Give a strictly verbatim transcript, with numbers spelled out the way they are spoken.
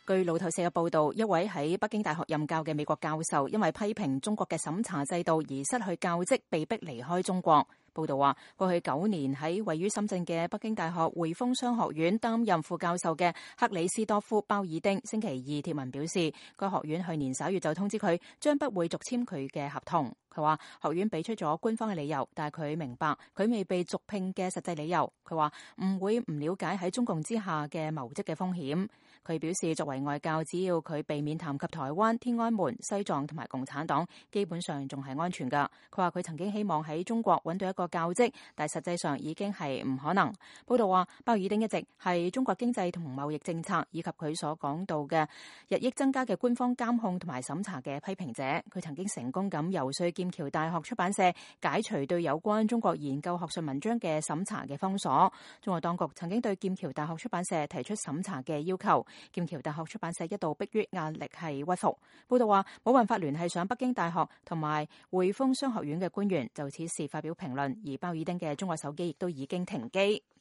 據路透社嘅報導，一位喺北京大學任教嘅美國教授，因為批評中國嘅審查制度而失去教職，被逼離開中國。報道話，過去九年喺位於深圳嘅北京大學匯豐商學院擔任副教授嘅克里斯多夫鮑爾丁星期二貼文表示，該學院去年十一月就通知佢將不會續簽佢嘅合同。佢話學院俾出咗官方嘅理由，但係佢明白佢未被續聘嘅實際理由。佢話唔會唔了解喺中共之下嘅謀職嘅風險。佢表示，作為外教，只要佢避免談及台灣、天安門、西藏同埋共產黨，基本上仲係安全㗎。佢話佢曾經希望喺中國揾到一個教職，但係實際上已經係唔可能。報道話，鮑爾丁一直係中國經濟同貿易政策以及佢所講到嘅日益增加嘅官方監控同埋審查嘅批評者。佢曾經成功咁游說劍橋大學出版社解除對有關中國研究學術文章嘅審查嘅封鎖。中國當局曾經對劍橋大學出版社提出審查嘅要求，劍橋大學出版社一度迫於壓力係屈服。報道話冇辦法聯繫上北京大學同埋匯豐商學院嘅官員，就此事發表評論，而鮑爾丁嘅中國手機亦都已經停機。